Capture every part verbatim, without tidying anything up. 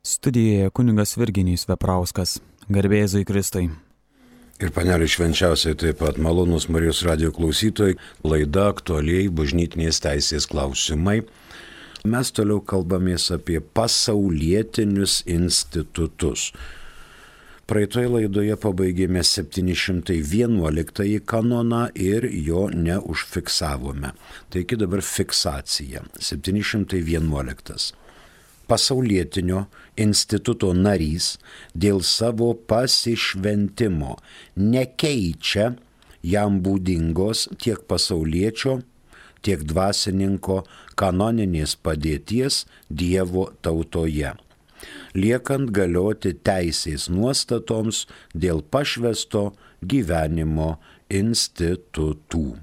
Studijoje kunigas Virginijus Veprauskas. Garbėzui Kristui. Ir panelė švenčiausiai taip pat malonus Marijos radijo klausytojai, laida aktualiai bažnytinės teisės klausimai. Mes toliau kalbamės apie pasaulietinius institutus. Praeitoje laidoje pabaigėme septyni šimtai vienuoliktąjį kanoną ir jo neužfiksavome. Taigi dabar fiksacija. septyni šimtai vienuoliktas. Pasaulietinio instituto narys dėl savo pasišventimo nekeičia jam būdingos tiek pasauliečio, tiek dvasininko kanoninės padėties Dievo tautoje, liekant galioti teisės nuostatoms dėl pašvęsto gyvenimo institutų.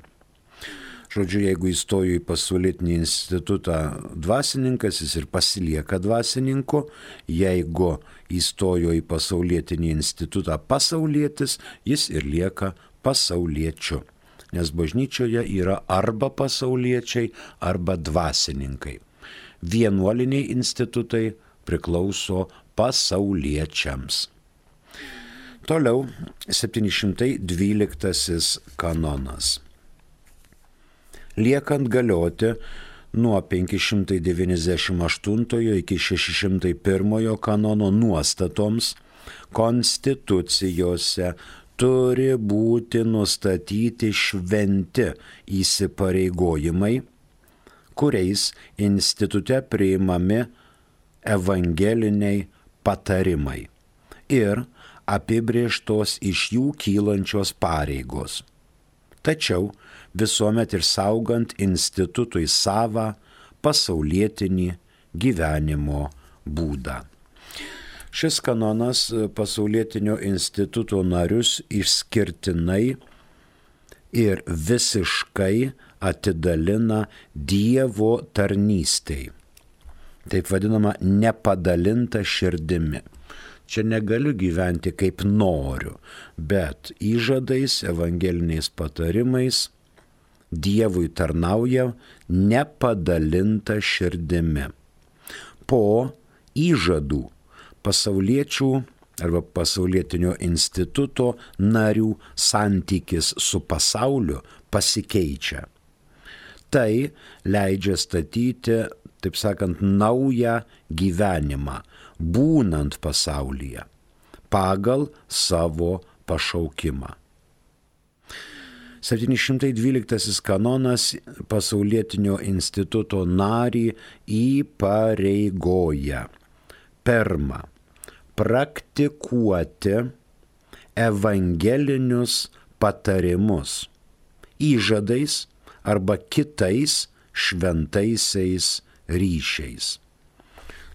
Žodžiu, jeigu įstojo į pasaulietinį institutą dvasininkas, jis ir pasilieka dvasininku, jeigu įstojo į pasaulietinį institutą pasaulietis, jis ir lieka pasauliečiu. Nes bažnyčioje yra arba pasauliečiai, arba dvasininkai. Vienuoliniai institutai priklauso pasauliečiams. Toliau septyni šimtai dvyliktasis kanonas. Liekant galioti nuo penki šimtai devyniasdešimt aštuntojo iki šeši šimtai pirmojo kanono nuostatoms, konstitucijose turi būti nustatyti šventi įsipareigojimai, kuriais institute priimami evangeliniai patarimai ir apibrėžtos iš jų kylančios pareigos. Tačiau visuomet ir saugant institutui savą pasaulietinį gyvenimo būdą. Šis kanonas pasaulietinio instituto narius išskirtinai ir visiškai atidalina Dievo tarnystei. Taip vadinama nepadalinta širdimi. Čia negaliu gyventi kaip noriu, bet įžadais, evangeliniais patarimais Dievui tarnauja nepadalinta širdimi. Po įžadų pasauliečių arba pasaulietinio instituto narių santykis su pasauliu pasikeičia. Tai leidžia statyti, taip sakant, naują gyvenimą, būnant pasaulyje, pagal savo pašaukimą. septyni šimtai dvyliktasis kanonas pasaulietinio instituto narį įpareigoja. Pirma, praktikuoti evangelinius patarimus įžadais arba kitais šventaisiais ryšiais.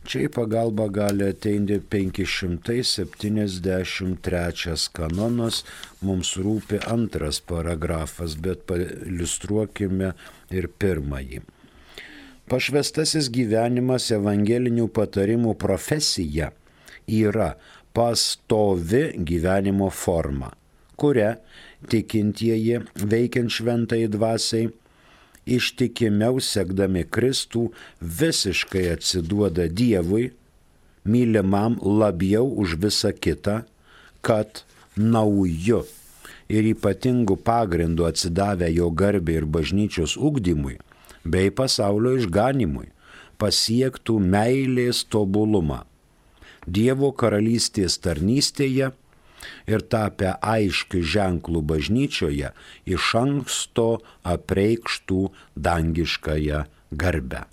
Čia į pagalbą gali ateiti penki šimtai septyniasdešimt trečias kanonas, mums rūpi antras paragrafas, bet pailiustruokime ir pirmąjį. Pašvęstasis gyvenimas evangelinių patarimų profesija yra pastovi gyvenimo forma, kuria tikintieji veikiant šventai dvasiai ištikimiau sekdami Kristų visiškai atsiduoda Dievui, mylimam labiau už visą kitą, kad nauju ir ypatingu pagrindu atsidavę jo garbei ir bažnyčios ugdymui bei pasaulio išganimui pasiektų meilės tobulumą Dievo karalystės tarnystėje ir tapę aiškių ženklų bažnyčioje iš anksto apreikštų dangiškąją garbę.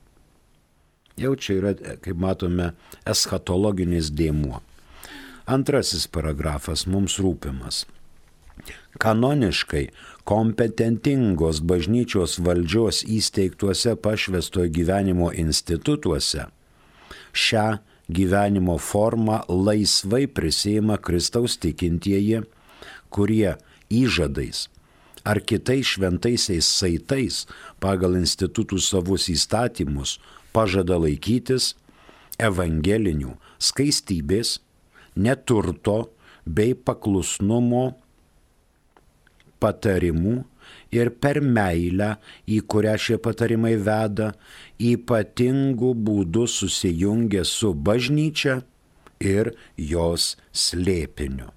Jau čia yra, kaip matome, eschatologinis dėmuo. Antrasis paragrafas mums rūpimas. Kanoniškai kompetentingos bažnyčios valdžios įsteigtuose pašvęstojo gyvenimo institutuose šią gyvenimo formą laisvai prisiima Kristaus tikintieji, kurie įžadais ar kitais šventaisiais saitais pagal institutų savus įstatymus pažada laikytis evangelinių skaistybės, neturto bei paklusnumo patarimų ir per meilę, į kurią šie patarimai veda, ypatingų būdų susijungia su bažnyčia ir jos slėpiniu.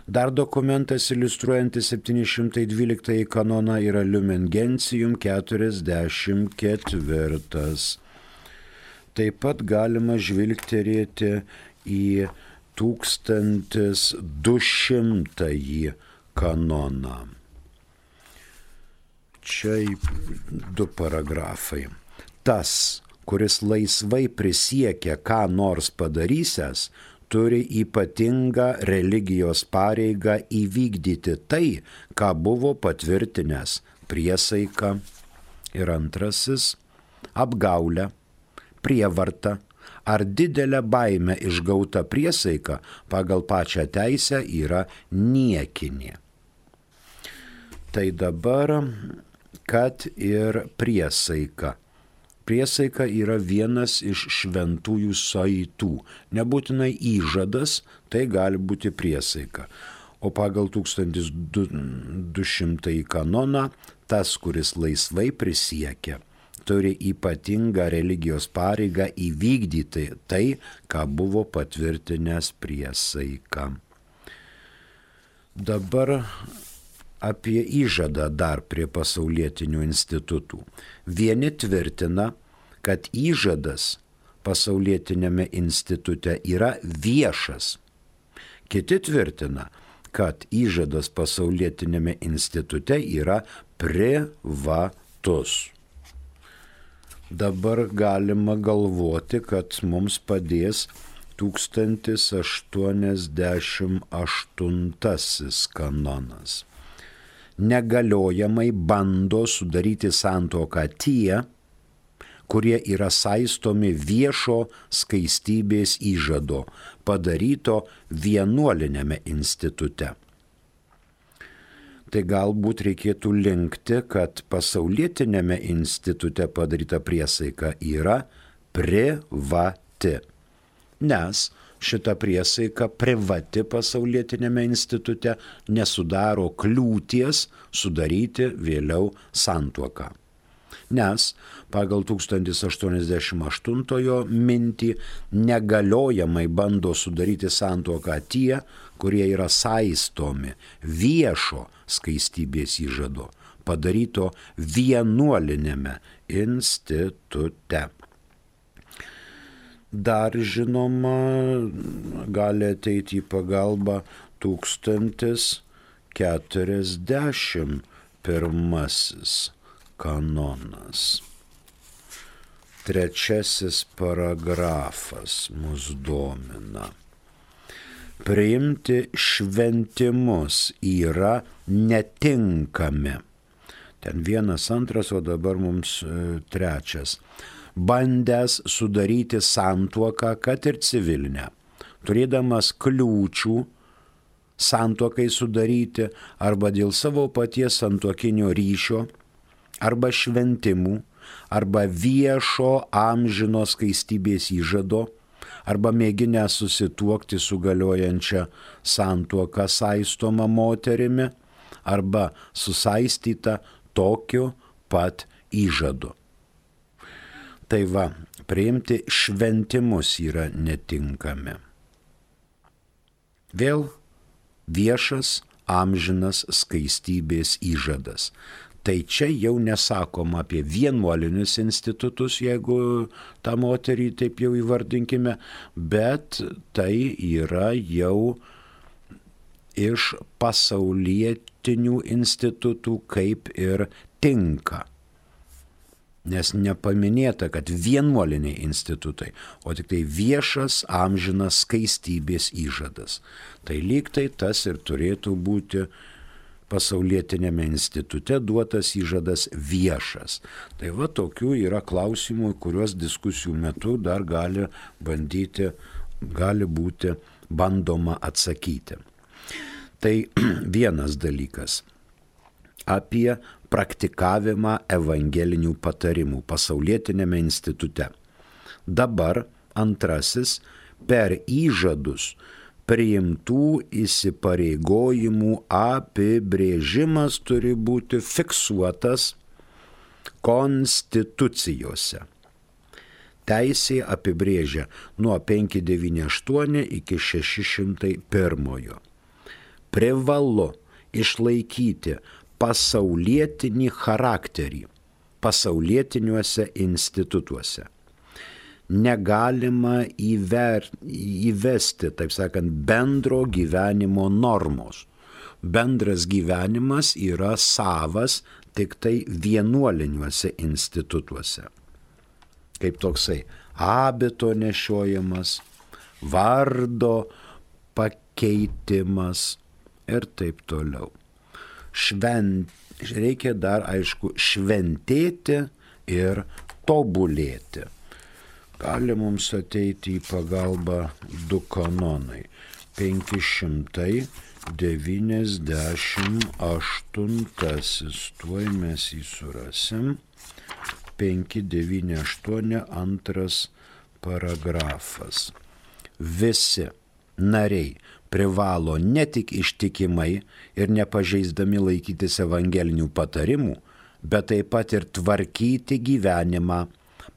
Dar dokumentas iliustruojantis septyni šimtai dvyliktąjį kanoną yra Lumen Gentium keturiasdešimt ketvirtas. Taip pat galima žvilgterėti į tūkstantis du šimtąjį kanoną. Čia du paragrafai. Tas, kuris laisvai prisiekia ką nors padarysęs, turi ypatingą religijos pareigą įvykdyti tai, ką buvo patvirtinęs priesaika. Ir antrasis - apgaulę, prievartą ar didelę baimę išgauta priesaika pagal pačią teisę yra niekinė. Tai dabar, kad ir priesaika. Priesaika yra vienas iš šventųjų saitų. Nebūtinai įžadas, tai gali būti priesaika. O pagal tūkstantis du šimtąjį kanoną, tas, kuris laisvai prisiekia, turi ypatingą religijos pareigą įvykdyti tai, ką buvo patvirtinęs priesaika. Dabar apie įžadą dar prie pasaulietinių institutų. Vieni tvirtina, kad įžadas pasaulietinėme institute yra viešas. Kiti tvirtina, kad įžadas pasaulietinėme institute yra privatus. Dabar galima galvoti, kad mums padės tūkstantis aštuoniasdešimt aštuntasis kanonas. Negaliojamai bando sudaryti santuoką tie, kurie yra saistomi viešo skaistybės įžado, padaryto vienuolinėme institute. Tai galbūt reikėtų linkti, kad pasaulietinėme institute padaryta priesaika yra privati, nes šita priesaika privati pasaulietinėme institute nesudaro kliūties sudaryti vėliau santuoką. Nes pagal tūkstantis aštuoniasdešimt aštuntojo mintį negaliojamai bando sudaryti santuoką tie, kurie yra saistomi viešo skaistybės įžado, padaryto vienuolinėme institute. Dar žinoma, gali ateiti į pagalbą tūkstantis keturiasdešimt pirmasis kanonas. Trečiasis paragrafas mus domina. Priimti šventimus yra netinkami. Ten vienas, antras, o dabar mums e, trečias. Bandęs sudaryti santuoką, kad ir civilinę, turėdamas kliūčių santuokai sudaryti arba dėl savo paties santuokinio ryšio, arba šventimų, arba viešo amžino skaistybės įžado, arba mėginę susituokti su galiojančia santuoka saistoma moterimi, arba susaistyta tokiu pat įžadu. Tai va, priimti šventimus yra netinkami. Vėl viešas amžinas skaistybės įžadas. Tai čia jau nesakoma apie vienuolinius institutus, jeigu tą moterį taip jau įvardinkime, bet tai yra jau iš pasaulietinių institutų kaip ir tinka. Nes nepaminėta, kad vienuoliniai institutai, o tik tai viešas amžinas skaistybės įžadas. Tai lyg tai tas ir turėtų būti pasaulietinėme institute duotas įžadas viešas. Tai va tokių yra klausimų, kuriuos diskusijų metu dar gali bandyti, gali būti bandoma atsakyti. Tai vienas dalykas apie praktikavimą evangelinių patarimų pasaulietinėme institute. Dabar antrasis per įžadus priimtų įsipareigojimų apibrėžimas turi būti fiksuotas konstitucijose. teisė apibrėžia nuo penki devyni aštuoni iki šeši šimtai pirmojo. Privalu išlaikyti pasaulietinį charakterį pasaulietiniuose institutuose. Negalima įver, įvesti, taip sakant, bendro gyvenimo normos. Bendras gyvenimas yra savas tik tai vienuoliniuose institutuose. Kaip toksai abito nešiojimas, vardo pakeitimas ir taip toliau. Švent, reikia dar, aišku, šventėti ir tobulėti. Gali mums ateiti į pagalbą du kanonai. penki šimtai devyniasdešimt aštuntasis. Tuoj mes jį surasim. penki devyni aštuoni antras paragrafas. Visi nariai privalo ne tik ištikimai ir nepažeisdami laikytis evangelinių patarimų, bet taip pat ir tvarkyti gyvenimą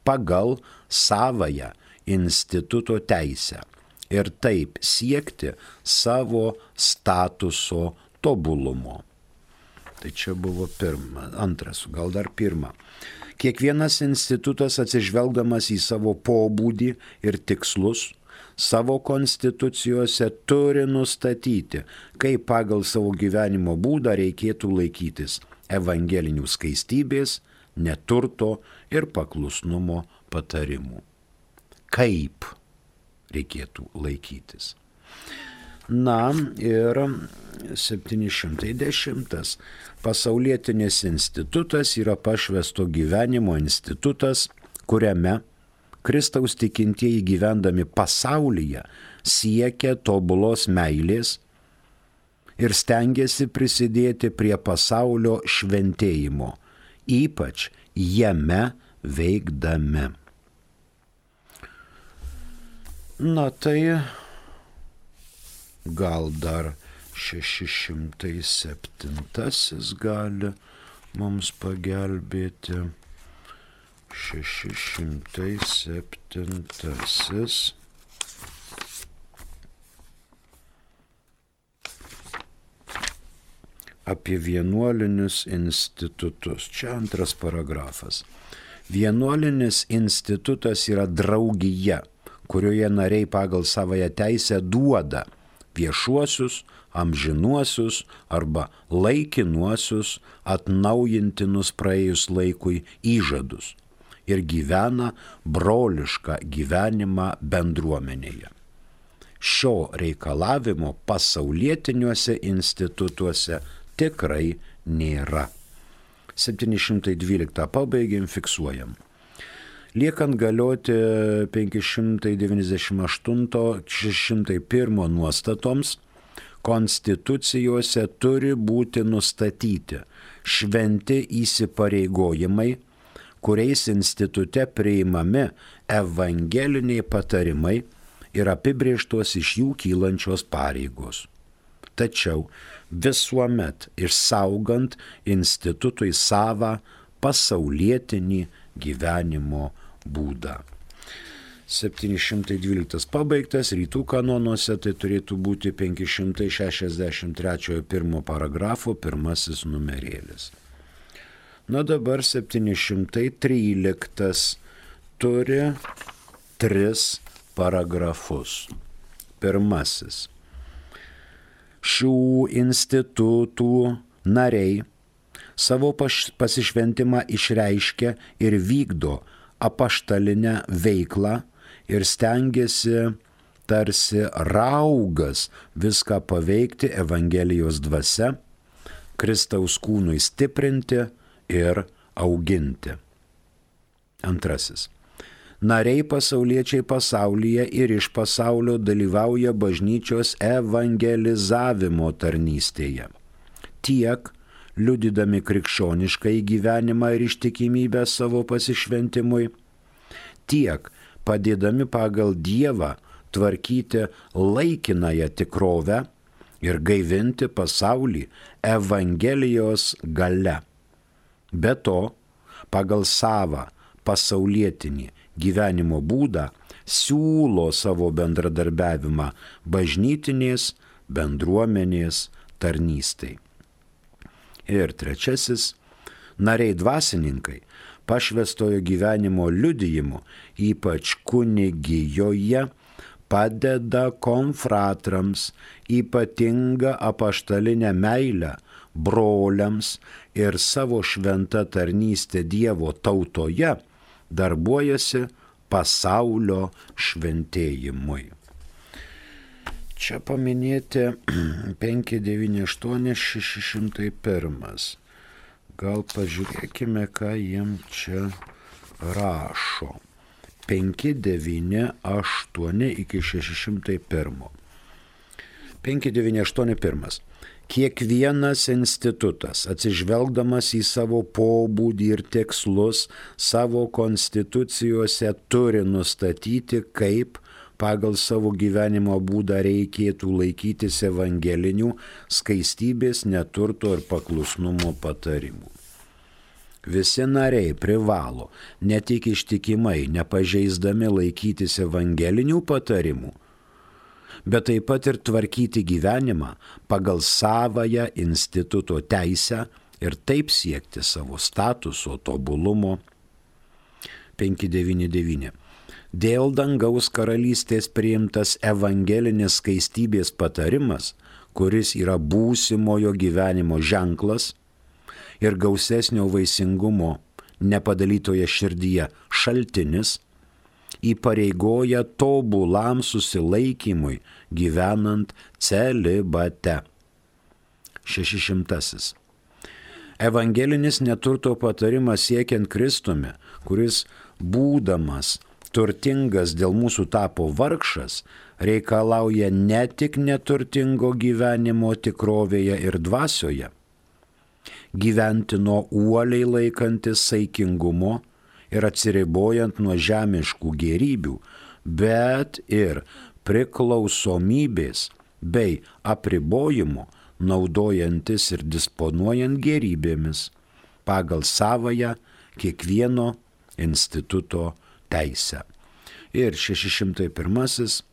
pagal savąją instituto teisę ir taip siekti savo statuso tobulumo. Tai čia buvo pirma, antras, gal dar pirma. Kiekvienas institutas atsižvelgdamas į savo pobūdį ir tikslus, savo konstitucijose turi nustatyti, kaip pagal savo gyvenimo būdą reikėtų laikytis evangelinių skaistybės, neturto ir paklusnumo patarimų. Kaip reikėtų laikytis. Na ir septyni šimtai dešimtas. Pasaulietinis institutas yra pašvęsto gyvenimo institutas, kuriame Kristaus tikintieji gyvendami pasaulyje siekia tobulos meilės ir stengiasi prisidėti prie pasaulio šventėjimo, ypač jame veikdami. Na tai gal dar šeši šimtai septintasis gali mums pagelbėti. šeši šimtai septintasis. Apie vienuolinius institutus. Čia antras paragrafas. Vienuolinis institutas yra draugija, kurioje nariai pagal savąją teisę duoda viešuosius, amžinuosius arba laikinuosius atnaujintinus praėjus laikui įžadus ir gyvena brolišką gyvenimą bendruomenėje. Šio reikalavimo pasaulietiniuose institutuose tikrai nėra. septyni šimtai dvyliktą pabaigėm, fiksuojam. Liekant galioti penki šimtai devyniasdešimt aštunto šeši šimtai pirmo nuostatoms, konstitucijose turi būti nustatyti šventi įsipareigojimai, kuriais institute priimami evangeliniai patarimai ir apibrėžtos iš jų kylančios pareigos. Tačiau visuomet išsaugant institutui savą pasaulietinį gyvenimo būdą. septyni šimtai dvyliktas pabaigtas, rytų kanonuose tai turėtų būti penki šimtai šešiasdešimt trečiojo pirmo paragrafo pirmasis numerėlis. Na dabar septyni šimtai tryliktas turi tris paragrafus. Pirmasis. Šių institutų nariai savo pasišventimą išreiškia ir vykdo apaštalinę veiklą ir stengiasi tarsi raugas viską paveikti Evangelijos dvasia, Kristaus kūnui stiprinti ir auginti. Antrasis. Nariai pasauliečiai pasaulyje ir iš pasaulio dalyvauja bažnyčios evangelizavimo tarnystėje. Tiek liudydami krikščionišką gyvenimą ir ištikimybę savo pasišventimui, tiek padėdami pagal Dievą tvarkyti laikinąją tikrovę ir gaivinti pasaulį Evangelijos galia. Be to, pagal savą pasaulietinį gyvenimo būdą, siūlo savo bendradarbiavimą bažnytinės bendruomenės tarnystai. Ir trečiasis, nariai dvasininkai pašvęstojo gyvenimo liudijimu, ypač kunigijoje, padeda konfratrams ypatingą apaštalinę meilę broliams ir savo šventą tarnystę Dievo tautoje darbuojasi pasaulio šventėjimui. Čia paminėti penki devyni aštuoni šeši šimtai vienas. Gal pažiūrėkime, ką jiem čia rašo. penki devyni aštuoni iki šeši šimtai vienas. penki devyni aštuoni vienas. Kiekvienas institutas, atsižvelgdamas į savo pobūdį ir tikslus, savo konstitucijose turi nustatyti, kaip pagal savo gyvenimo būdą reikėtų laikytis evangelinių skaistybės, neturto ir paklusnumo patarimų. Visi nariai privalo ne tik ištikimai, nepažeisdami laikytis evangelinių patarimų, bet taip pat ir tvarkyti gyvenimą pagal savąją instituto teisę ir taip siekti savo statuso tobulumo. penki devyni devyni. Dėl dangaus karalystės priimtas evangelinis skaistybės patarimas, kuris yra būsimojo gyvenimo ženklas ir gausesnio vaisingumo nepadalytoje širdyje šaltinis, įpareigoja tobulam susilaikymui gyvenant celibate. Šešišimtasis. Evangelinis neturto patarimas siekiant Kristumi, kuris būdamas turtingas dėl mūsų tapo vargšas, reikalauja ne tik neturtingo gyvenimo tikrovėje ir dvasioje, gyventi nuo uoliai laikantis saikingumo ir atsiribojant nuo žemiškų gėrybių, bet ir priklausomybės bei apribojimo, naudojantis ir disponuojant gėrybėmis pagal savąją kiekvieno instituto teisę. Ir šeši šimtai vienas.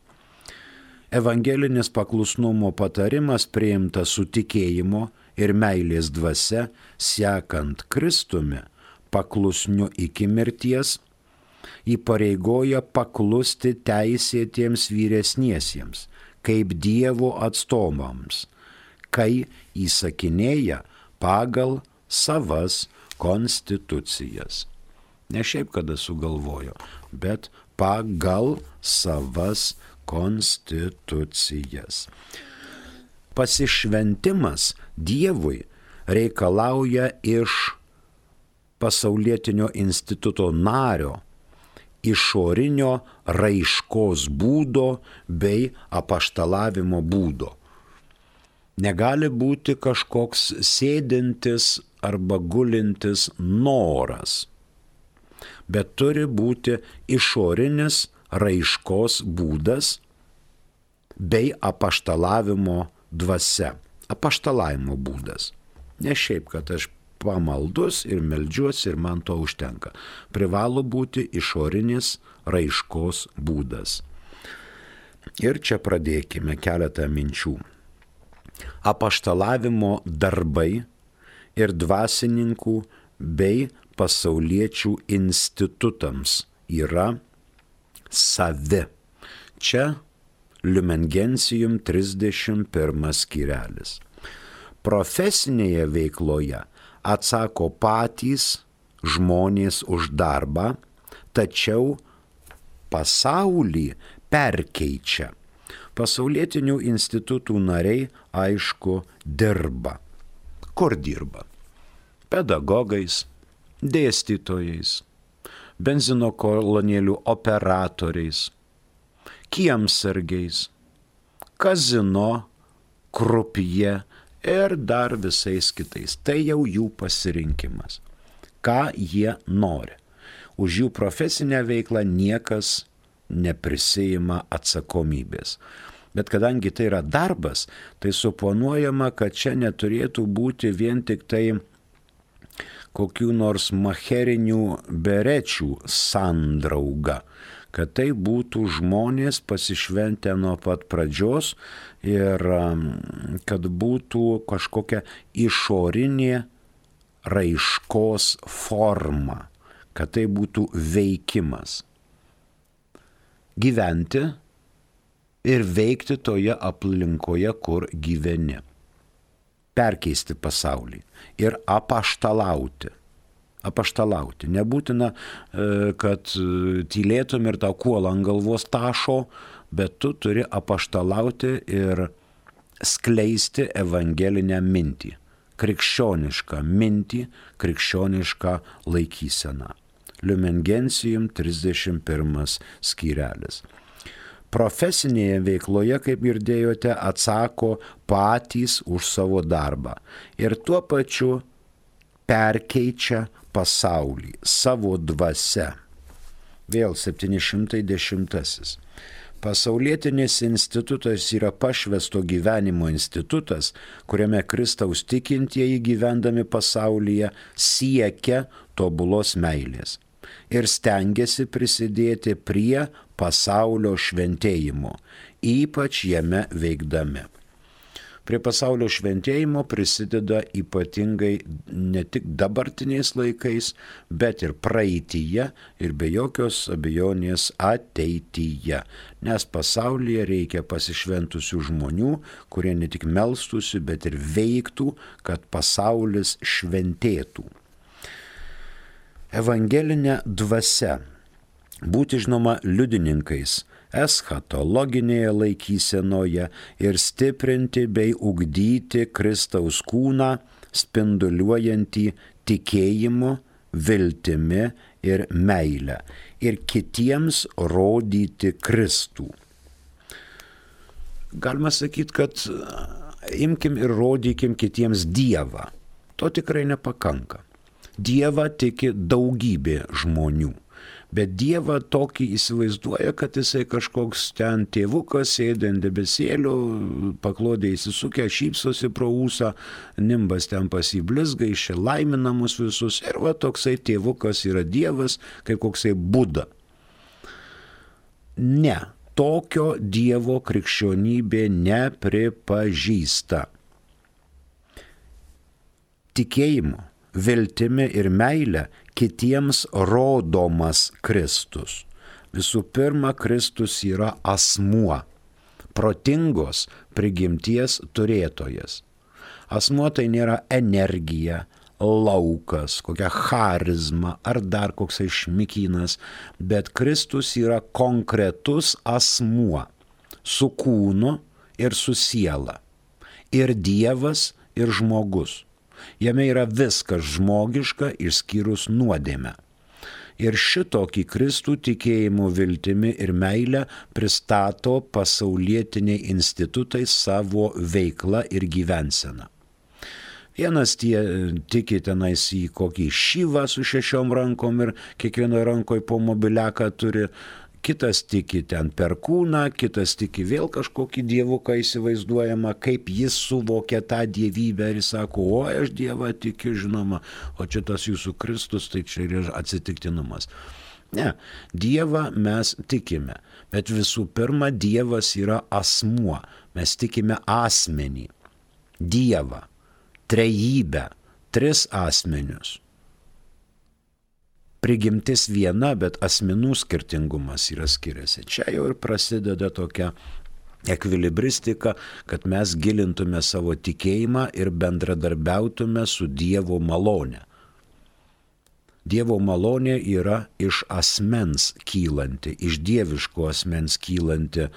Evangelinis paklusnumo patarimas priimtas su tikėjimo ir meilės dvasia, sekant Kristumi, paklusniu iki mirties, įpareigoja paklusti teisėtiems vyresniesiems, kaip Dievo atstovams, kai įsakinėja pagal savas konstitucijas. Ne šiaip kada sugalvojo, bet pagal savas konstitucijas. Pasišventimas Dievui reikalauja iš pasaulietinio instituto nario išorinio raiškos būdo bei apaštalavimo būdo. Negali būti kažkoks sėdintis arba gulintis noras, bet turi būti išorinis raiškos būdas bei apaštalavimo dvasia, apaštalavimo būdas. Ne šiaip, kad aš pamaldus ir meldžiuosi ir man to užtenka. Privalo būti išorinis raiškos būdas. Ir čia pradėkime keletą minčių. Apaštalavimo darbai ir dvasininkų bei pasauliečių institutams yra savi. Čia Lumen Gentium trisdešimt pirmas skyrelis. Profesinėje veikloje atsako patys žmonės už darbą, tačiau pasaulį perkeičia. Pasaulietinių institutų nariai, aišku, dirba. Kur dirba? Pedagogais, dėstytojais, benzino kolonėlių operatoriais, kiemsargiais, kazino, krupje ir dar visais kitais. Tai jau jų pasirinkimas. Ką jie nori. Už jų profesinę veiklą niekas neprisijima atsakomybės. Bet kadangi tai yra darbas, tai suponuojama, kad čia neturėtų būti vien tik tai kokių nors macherinių berečių sandrauga, kad tai būtų žmonės pasišventę nuo pat pradžios ir kad būtų kažkokia išorinė raiškos forma, kad tai būtų veikimas. Gyventi ir veikti toje aplinkoje, kur gyveni. Perkeisti pasaulį ir apaštalauti. Apaštalauti. Nebūtina, kad tylėtum ir tau kuolą ant galvos tašo, bet tu turi apaštalauti ir skleisti evangelinę mintį. Krikščionišką mintį, krikščionišką laikyseną. Lumen Gentium trisdešimt pirmas skyrelis. Profesinėje veikloje, kaip girdėjote, atsako patys už savo darbą ir tuo pačiu perkeičia pasaulį savo dvasia. Vėl septyni šimtai dešimtasis. Pasaulietinis institutas yra pašvęsto gyvenimo institutas, kuriame Kristaus tikintieji gyvendami pasaulyje siekia tobulos meilės ir stengiasi prisidėti prie pasaulio šventėjimo, ypač jame veikdami. Prie pasaulio šventėjimo prisideda ypatingai ne tik dabartiniais laikais, bet ir praeityje ir be jokios abejonės ateityje. Nes pasaulyje reikia pasišventusių žmonių, kurie ne tik melstųsi, bet ir veiktų, kad pasaulis šventėtų. Evangelinė dvasia. Būti žinoma liudininkais eschatologinėje laikysenoje ir stiprinti bei ugdyti Kristaus kūną, spinduliuojantį tikėjimu, viltimi ir meilę ir kitiems rodyti Kristų. Galima sakyti, kad imkim ir rodykim kitiems Dievą. To tikrai nepakanka. Dievą tiki daugybė žmonių. Bet Dievą tokį įsivaizduoja, kad jisai kažkoks ten tėvukas, sėdi ant debesėlio, paklodė įsisukę, šypsosi pro ūsą, nimbas ten pasiblizga, išė laiminamus visus. Ir va toksai tėvukas yra Dievas, kaip koksai Buda. Ne, tokio Dievo krikščionybė nepripažįsta. Tikėjimu, viltimi ir meilė kitiems rodomas Kristus. Visų pirma, Kristus yra asmuo, protingos prigimties turėtojas. Asmuo tai nėra energija, laukas, kokia charizma ar dar koksai šmikynas, bet Kristus yra konkretus asmuo su kūnu ir su siela. Ir Dievas, ir žmogus. Jame yra viskas žmogiška išskyrus nuodėmę. Ir šitokį Kristų tikėjimu, viltimi ir meilę pristato pasaulietiniai institutai savo veiklą ir gyvenseną. Vienas tie tiki tenais į kokį šyvą su šešiom rankom ir kiekvienoje rankoje po mobiliaką turi, kitas tiki ten per kūną, kitas tiki vėl kažkokį dievuką įsivaizduojamą, kaip jis suvokia tą dievybę ir jis sako, o aš Dievą tikiu, žinoma, o čia tas jūsų Kristus, tai čia yra atsitiktinumas. Ne, Dievą mes tikime, bet visų pirma, Dievas yra asmuo, mes tikime asmenį, Dievą, trejybę, tris asmenius. Prigimtis viena, bet asmenų skirtingumas yra skiriasi. Čia jau ir prasideda tokia ekvilibristika, kad mes gilintume savo tikėjimą ir bendradarbiautume su Dievo malone. Dievo malonė yra iš asmens kylanti, iš dieviško asmens kylanti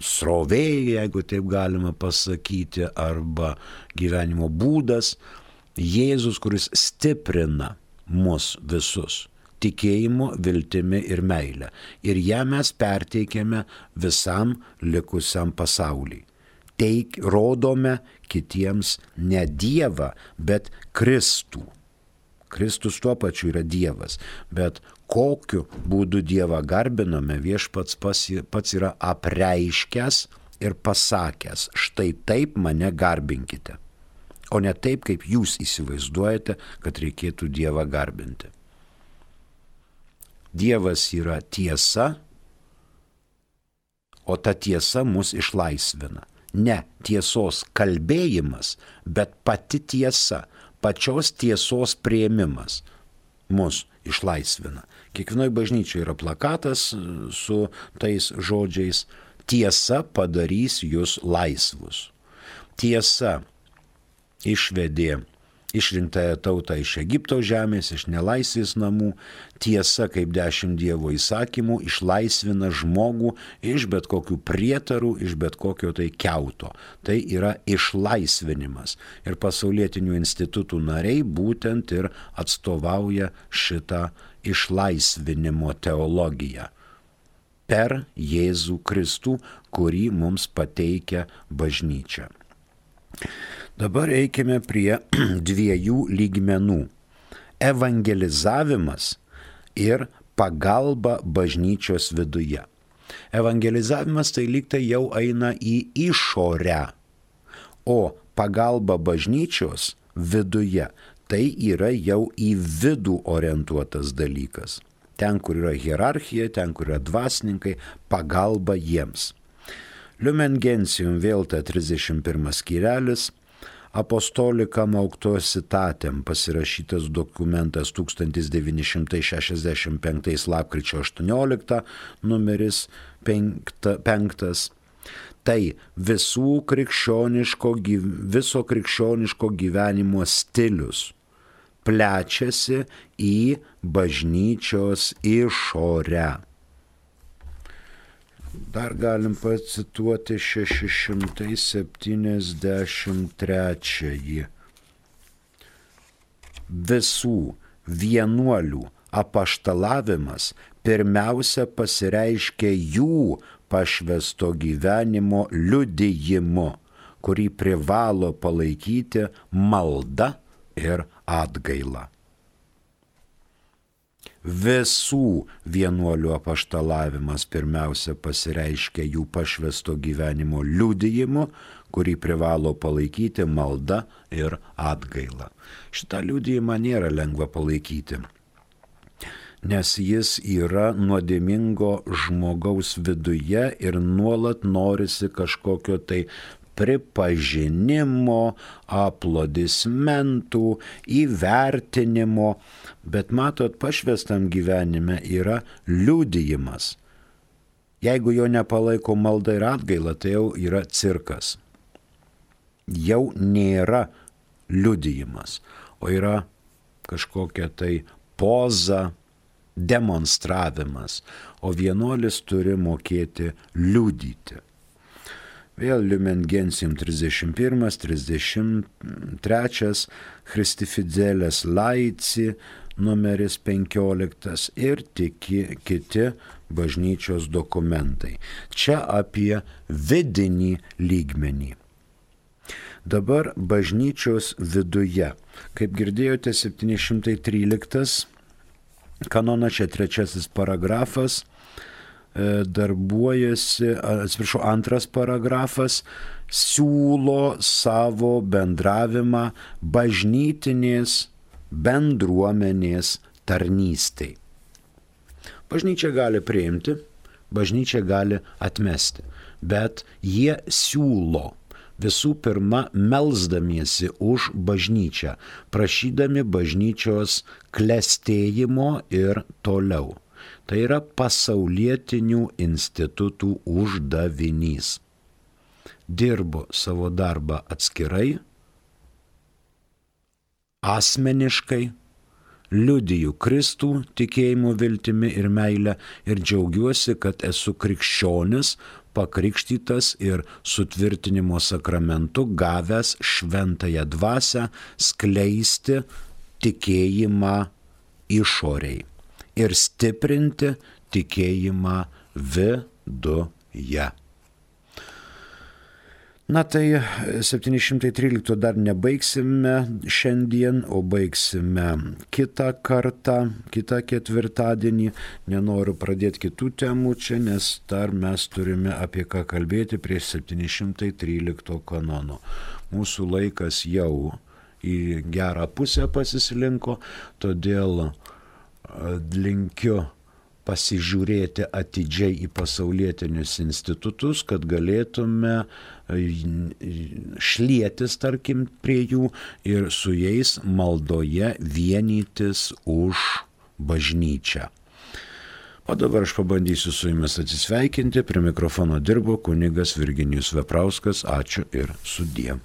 srovė, jeigu taip galima pasakyti, arba gyvenimo būdas. Jėzus, kuris stiprina mus visus tikėjimu, viltimi ir meilę. Ir ją mes perteikiame visam likusiam pasauliui. Teik, rodome kitiems ne Dievą, bet Kristų. Kristus tuo pačiu yra Dievas, bet kokiu būdu Dievą garbiname, viešpats pats yra apreiškęs ir pasakęs, štai taip mane garbinkite. o ne taip, kaip jūs įsivaizduojate, kad reikėtų Dievą garbinti. Dievas yra tiesa, o ta tiesa mus išlaisvina. Ne tiesos kalbėjimas, bet pati tiesa, pačios tiesos priėmimas mus išlaisvina. Kiekvienoje bažnyčioje yra plakatas su tais žodžiais: tiesa padarys jūs laisvus. Tiesa išvedė išrinktąją tautą iš Egipto žemės, iš nelaisvės namų. Tiesa, kaip dešimt Dievo įsakymų, išlaisvina žmogų iš bet kokių prietarų, iš bet kokio tai kiauto. Tai yra išlaisvinimas. Ir pasaulietinių institutų nariai būtent ir atstovauja šitą išlaisvinimo teologiją per Jėzų Kristų, kurį mums pateikia bažnyčia. Dabar eikime prie dviejų lygmenų – evangelizavimas ir pagalba bažnyčios viduje. Evangelizavimas tai lyg tai jau eina į išorę, o pagalba bažnyčios viduje tai yra jau į vidų orientuotas dalykas. Ten, kur yra hierarchija, ten, kur yra dvasininkai, pagalba jiems. Lumen Gentium vėl ta trisdešimt pirmas skyrelis, Apostolikam Auctositatem pasirašytas dokumentas tūkstantis devyni šimtai šešiasdešimt penktais lapkričio aštuonioliktą, numeris penktas. Tai visų krikščioniško, viso krikščioniško gyvenimo stilius plečiasi į bažnyčios išorę. Dar galim pacituoti šeši šimtai septyniasdešimt trečiąjį. Visų vienuolių apaštalavimas pirmiausia pasireiškia jų pašvęsto gyvenimo liudijimu, kurį privalo palaikyti malda ir atgaila. Visų vienuolių apaštalavimas pirmiausia pasireiškia jų pašvęsto gyvenimo liudijimu, kurį privalo palaikyti malda ir atgaila. Šitą liudijimą nėra lengva palaikyti, nes jis yra nuodėmingo žmogaus viduje ir nuolat norisi kažkokio tai pripažinimo, aplodismentų, įvertinimo, bet matot, pašvęstam gyvenime yra liudijimas. Jeigu jo nepalaiko malda ir atgaila, tai jau yra cirkas. Jau nėra liudijimas, o yra kažkokia tai poza, demonstravimas, o vienuolis turi mokėti liudyti. Vėl Lumen Gentium trisdešimt pirmas, trisdešimt trečias, Christi Fideles Laici, numeris penkioliktas ir tiki, kiti bažnyčios dokumentai. Čia apie vidinį lygmenį. Dabar bažnyčios viduje. Kaip girdėjote, septyni šimtai tryliktas kanonas, čia trečiasis paragrafas, darbuojasi, atsiprašau, antras paragrafas, siūlo savo bendravimą bažnytinės bendruomenės tarnystei. Bažnyčia gali priimti, bažnyčia gali atmesti, bet jie siūlo visų pirma melsdamiesi už bažnyčią, prašydami bažnyčios klestėjimo ir toliau. Tai yra pasaulietinių institutų uždavinys. Dirbu savo darbą atskirai, asmeniškai, liudiju Kristų tikėjimu, viltimi ir meilę ir džiaugiuosi, kad esu krikščionis, pakrikštytas ir sutvirtinimo sakramentu gavęs šventąją dvasią skleisti tikėjimą išoriai ir stiprinti tikėjimą viduje. Na tai septyni šimtai trylikto dar nebaigsime šiandien, o baigsime kitą kartą, kitą ketvirtadienį. Nenoriu pradėti kitų temų čia, nes dar mes turime apie ką kalbėti prie septyni šimtai trylikto kanono. Mūsų laikas jau į gerą pusę pasislinko, todėl linkiu pasižiūrėti atidžiai į pasaulietinius institutus, kad galėtume šlietis, tarkim, prie jų ir su jais maldoje vienytis už bažnyčią. O dabar aš pabandysiu su jumis atsisveikinti. Prie mikrofono dirbo kunigas Virginijus Veprauskas. Ačiū ir sudie.